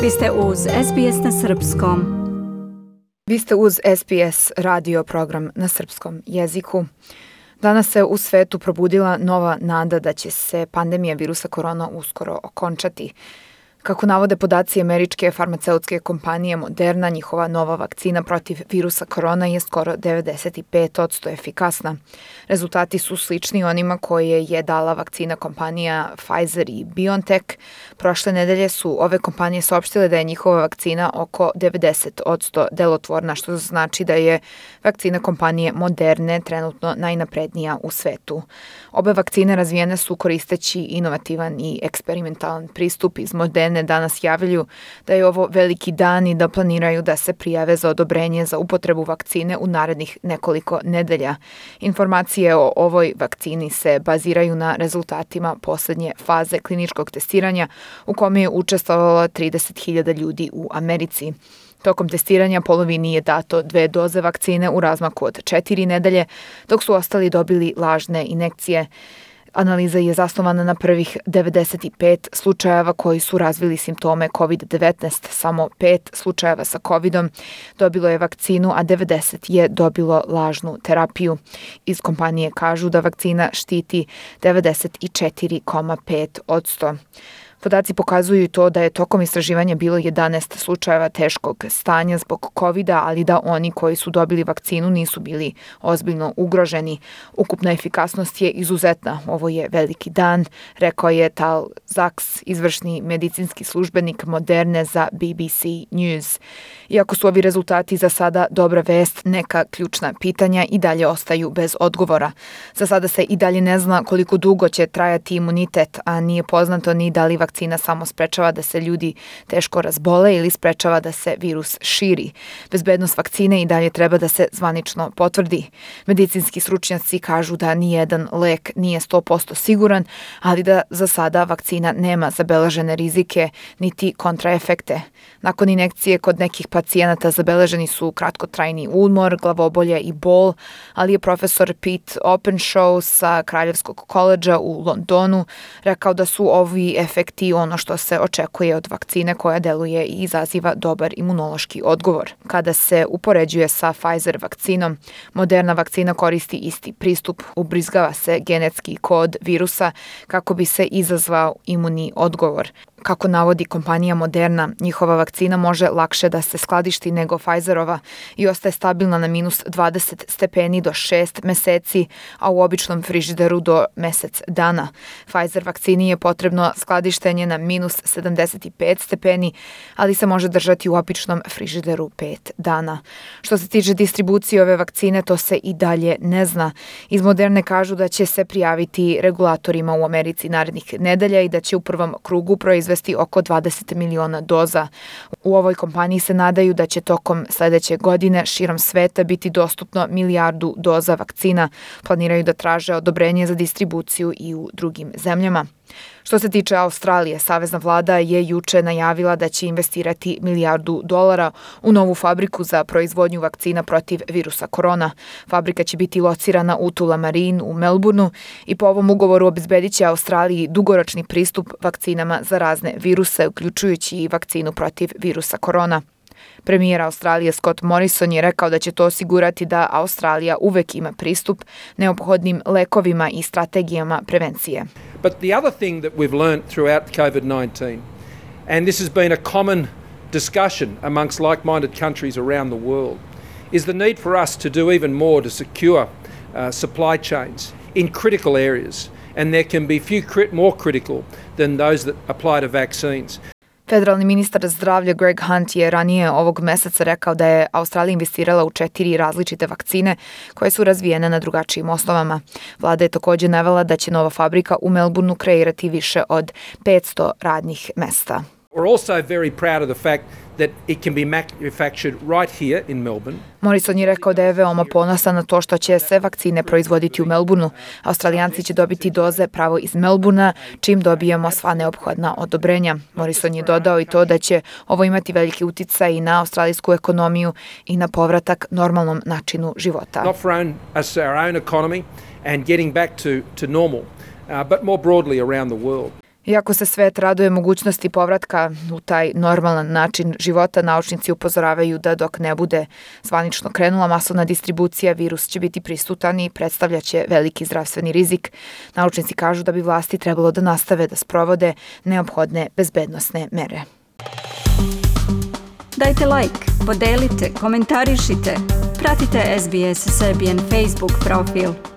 Vi ste uz SBS na Srpskom. Vi ste uz SBS radio program na srpskom jeziku. Danas se u svetu probudila nova nada da će se pandemija virusa korona uskoro okončati. Kako navode podaci američke farmaceutske kompanije Moderna, njihova nova vakcina protiv virusa korona je skoro 95% efikasna. Rezultati su slični onima koje je dala vakcina kompanija Pfizer i BioNTech. Prošle nedelje su ove kompanije saopštile da je njihova vakcina oko 90% delotvorna, što znači da je vakcina kompanije Moderne trenutno najnaprednija u svetu. Obe vakcine razvijene su koristeći inovativan i eksperimentalan pristup. Iz Moderne danas javljaju da je ovo veliki dan i da planiraju da se prijave za odobrenje za upotrebu vakcine u narednih nekoliko nedelja. Informacije o ovoj vakcini se baziraju na rezultatima poslednje faze kliničkog testiranja u kome je učestvovalo 30.000 ljudi u Americi. Tokom testiranja polovini je dato 2 doze vakcine u razmaku od 4 nedelje, dok su ostali dobili lažne injekcije. Analiza je zasnovana na prvih 95 slučajeva koji su razvili simptome COVID-19. Samo 5 slučajeva sa COVID-om dobilo je vakcinu, a 90 je dobilo lažnu terapiju. Iz kompanije kažu da vakcina štiti 94,5%. Podaci pokazuju to da je tokom istraživanja bilo 11 slučajeva teškog stanja zbog COVID-a, ali da oni koji su dobili vakcinu nisu bili ozbiljno ugroženi. Ukupna efikasnost je izuzetna. Ovo je veliki dan, rekao je Tal Zaks, izvršni medicinski službenik Moderne za BBC News. Iako su ovi rezultati za sada dobra vest, neka ključna pitanja i dalje ostaju bez odgovora. Za sada se i dalje ne zna koliko dugo će trajati imunitet, a nije poznato ni da li vakcina samo sprečava da se ljudi teško razbole ili sprečava da se virus širi. Bezbednost vakcine i dalje treba da se zvanično potvrdi. Medicinski stručnjaci kažu da nijedan lek nije 100% siguran, ali da za sada vakcina nema zabeležene rizike niti kontraefekte. Nakon injekcije kod nekih pacijenata zabeleženi su kratkotrajni umor, glavobolje i bol, ali je profesor Pete Openshaw sa Kraljevskog koledža u Londonu rekao da su ovi efekti ono što se očekuje od vakcine koja deluje i izaziva dobar imunološki odgovor. Kada se upoređuje sa Pfizer vakcinom, Moderna vakcina koristi isti pristup, ubrizgava se genetski kod virusa kako bi se izazvao imunni odgovor. Kako navodi kompanija Moderna, njihova vakcina može lakše da se skladišti nego Pfizerova i ostaje stabilna na minus 20 stepeni do 6 meseci, a u običnom frižideru do mesec dana. Pfizer vakcini je potrebno skladištenje na minus 75 stepeni, ali se može držati u običnom frižideru 5 dana. Što se tiče distribucije ove vakcine, to se i dalje ne zna. Iz Moderne kažu da će se prijaviti regulatorima u Americi narednih nedelja i da će u prvom krugu proizvesti oko 20 miliona doza. U ovoj kompaniji se nadaju da će tokom sledeće godine širom sveta biti dostupno 1 milijardu doza vakcina. Planiraju da traže odobrenje za distribuciju i u drugim zemljama. Što se tiče Australije, savezna vlada je juče najavila da će investirati $1 milijardu u novu fabriku za proizvodnju vakcina protiv virusa korona. Fabrika će biti locirana u Tullamarine u Melbourneu i po ovom ugovoru obezbedit će Australiji dugoročni pristup vakcinama za razne viruse, uključujući i vakcinu protiv virusa korona. Premijer Australije Scott Morrison je rekao da će to osigurati da Australija uvek ima pristup neophodnim lekovima i strategijama prevencije. But the other thing that we've learned throughout COVID-19, and this has been a common discussion amongst like-minded countries around the world, is the need for us to do even more to secure supply chains in critical areas, and there can be few more critical than those that apply to vaccines. Federalni ministar zdravlja Greg Hunt je ranije ovog meseca rekao da je Australija investirala u 4 različite vakcine koje su razvijene na drugačijim osnovama. Vlada je također navela da će nova fabrika u Melbourneu kreirati više od 500 radnih mesta. We're also very proud of the fact that it can be manufactured right here in Melbourne. Morrison je rekao da je veoma ponosan na to što će se vakcine proizvoditi u Melbourneu. Australijanci će dobiti doze pravo iz Melbournea, čim dobijemo sva neophodna odobrenja. Morrison je dodao i to da će ovo imati veliki uticaj i na australijsku ekonomiju i na povratak normalnom načinu života. Not for our own economy and getting back to normal, but more broadly around the world. Iako se svet raduje mogućnosti povratka u taj normalan način života, naučnici upozoravaju da dok ne bude zvanično krenula masovna distribucija, virus će biti prisutan i predstavljaće veliki zdravstveni rizik. Naučnici kažu da bi vlasti trebalo da nastave da sprovode neophodne bezbednosne mere. Dajte like, podelite, komentarišite. Pratite SBS Serbian Facebook profil.